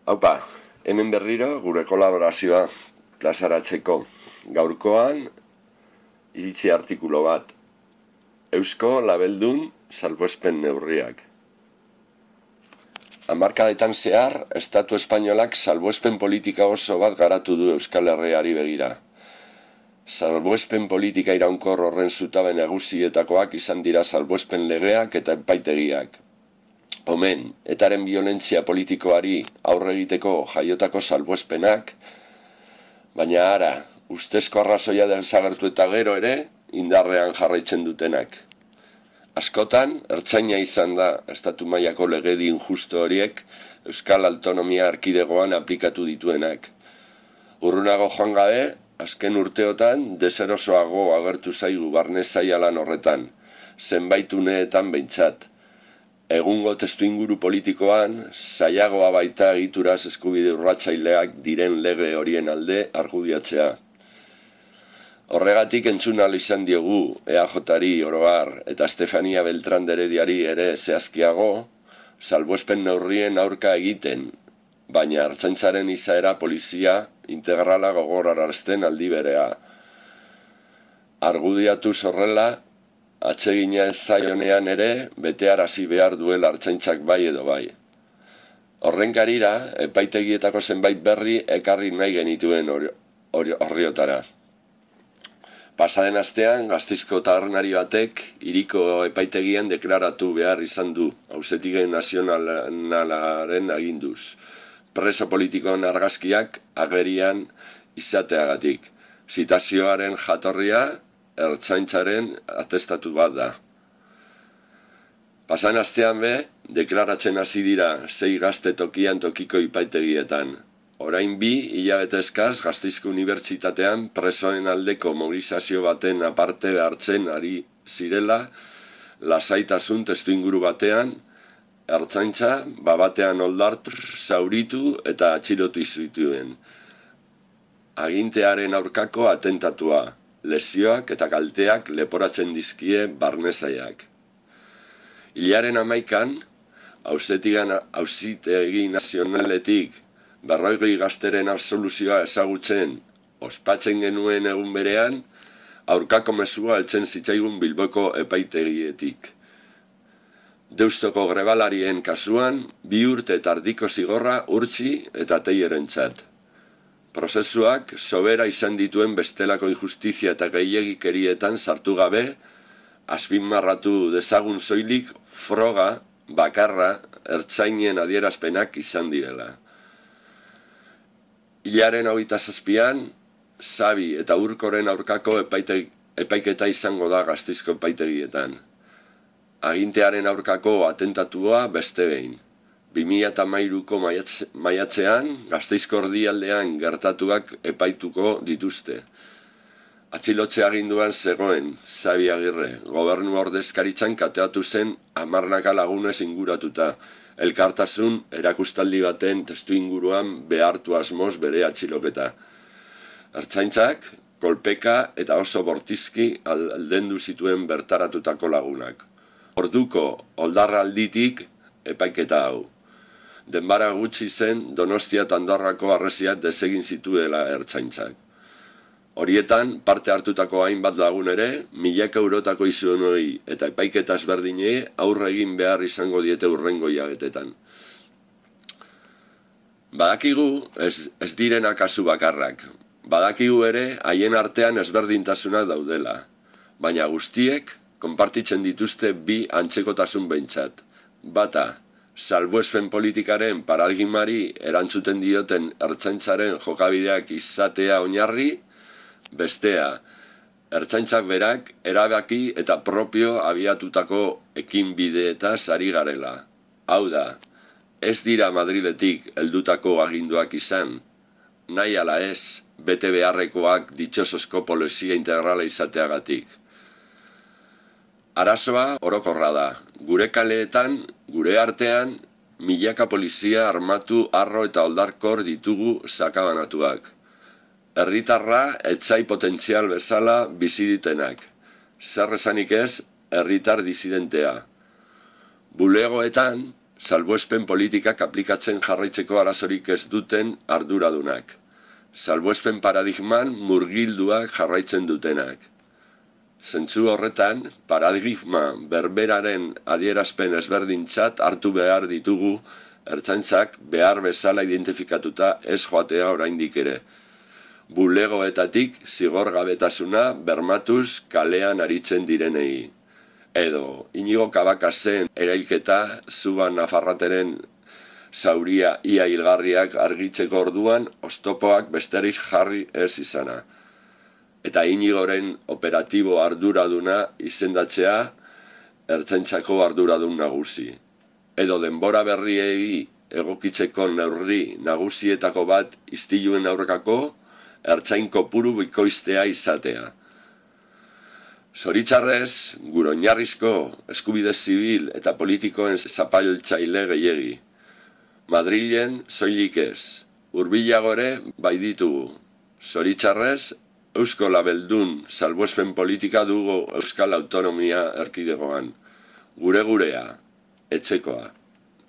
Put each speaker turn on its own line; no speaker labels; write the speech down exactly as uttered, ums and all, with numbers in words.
Haupa, hemen berriro gure kolaborazioa plazaratzeko. Gaurkoan iritzi artikulo bat. Eusko labeldun salbuespen neurriak. Hamarkadetan zehar, Estatu Espainolak salbuespen politika oso bat garatu du Euskal Herriari begira. Salbuespen politika iraunkor horren zutabe nagusietakoak izan dira salbuespen legeak eta epaitegiak. Omen, etaren biolentzia politikoari aurre egiteko jaiotako salbuespenak, baina ara, ustezko arrazoia desagertu eta gero ere, indarrean jarraitzen dutenak. Askotan, ertzaina izan da estatu mailako legedi injusto horiek Euskal Autonomia Erkidegoan aplikatu dituenak. Urrunago joan gabe, azken urteotan deserosoago agertu zaigu barne zaila lan horretan, zenbait uneetan behintzat. Egungo testuinguru politikoan, zailagoa baita egituraz eskubide urratzaileak diren lege horien alde argudiatzea. Horregatik entzun ahal izan diogu E A Jari oroar eta Estefania Beltrán de Herediari ere zehazkiago, salbuespen neurrien aurka egiten, baina ertzaintzaren izaera polizia integrala gogorarazten aldi berea. Argudiatu horrela, atsegina ez zaionean ere, betearazi behar duela ertzaintzak bai edo bai. Horren karira, epaitegietako zenbait berri ekarri nahi genituen horriotara. Pasaden astean, Gasteizko tabernari batek hiriko epaitegian deklaratu behar izan du, auzitegi nazionalaren aginduz. Preso politikoen argazkiak agerian izateagatik. Zitazioaren jatorria ertzaintzaren atestatu bat da. Pasaden astean be, deklaratzen hasi dira sei gazte tokian tokiko epaitegietan. Orain bi, hilabete eskaz, Gasteizko Unibertsitatean presoen aldeko mobilizazio baten aparte hartzen ari zirela, lasaitasun testuinguru batean, ertzaintza, babatean oldartu, zauritu eta atxilotu zituen. Agintearen aurkako atentatua, lesioak eta kalteak leporatzen dizkie barnezaiak. Hilaren hamaikan, auzitegi nazionaletik berrogei gazteren absoluzioa ezagutzen, ospatzen genuen egun berean, aurkako mezua heltzen zitzaigun Bilboko epaitegietik. Deustoko grebalarien kasuan, bi urte eta erdiko zigorra urtsi eta teierentzat. Prozesuak sobera izan dituen bestelako injustizia eta gehiegikerietan sartu gabe, azpimarratu dezagun soilik froga, bakarra, ertzainen adierazpenak izan direla. Hilaren hogeita zazpian, Zabi eta Urkoren aurkako epaite, epaiketa izango da Gasteizko epaitegietan. Agintearen aurkako atentatua beste behin. bi mila hamairuko maiatzean, Gasteizko erdialdean gertatuak epaituko dituzte. Atxilotze aginduan zegoen, Zabi Agirre, gobernu ordezkaritzan kateatu zen hamarnaka lagunez inguratuta, elkartasun erakustaldi baten testu inguruan behartu asmoz bere atxiloketa. Ertzaintzak, kolpeka eta oso bortizki aldendu zituen bertaratutako lagunak. Orduko oldarra alditik epaiketa hau. Denbara gutxi zen Donostia eta Andorrako harresiak desegin zituela ertzaintzak. Horietan, parte hartutako hainbat lagun ere, milaka eurotako izunoi eta epaiketa ezberdinei aurre egin behar izango diete hurrengo hilabetetan. Badakigu ez, ez direna kasu bakarrak. Badakigu ere haien artean ezberdintasunak daudela. Baina guztiek konpartitzen dituzte bi antzekotasun behintzat. Bata, salbuespen politikaren paradigmari erantzuten dioten ertzaintzaren jokabideak izatea oinarri, bestea, ertzaintzak berak erabaki eta propio abiatutako ekinbideetaz ari garela. Hau da, ez dira Madriletik heldutako aginduak izan, nahi ala ez, bete beharrekoak ditxosozko polizia integrala izateagatik. Arazoa orokorra da, gure kaleetan, gure artean, milaka polizia armatu, arro eta oldarkor ditugu sakabanatuak. Herritarra etsai potentzial bezala bizi ditenak. Zer esanik ez, herritar disidentea. Bulegoetan, salbuespen politikak aplikatzen jarraitzeko arazorik ez duten arduradunak. Salbuespen paradigman murgilduak jarraitzen dutenak. Zentzu horretan, paradigma berberaren adierazpen ezberdintzat hartu behar ditugu ertzaintzak behar bezala identifikatuta ez joatea oraindik ere. Bulegoetatik zigorgabetasuna bermatuz kalean aritzen direnei. Edo, Inigo Kabakasen erailketa Zuban Nafarrateren zauria ia hilgarriak argitzeko orduan oztopoak besterik jarri ez izana. Eta Inigoren operatibo arduraduna izendatzea ertzaintzako arduradun nagusi. Edo denbora berriei egokitzeko neurri nagusietako bat istiluen aurkako ertzain kopuru bikoiztea izatea. Zoritxarrez, gure oinarrizko eskubide zibil eta politikoen zapaltzaile gehiegi. Madrilen soilik ez, hurbilago ere bai ditugu. Zoritxarrez, Eusko Labeldun salbuespen politika dugu Euskal Autonomia Erkidegoan. Gure gurea, etxekoa.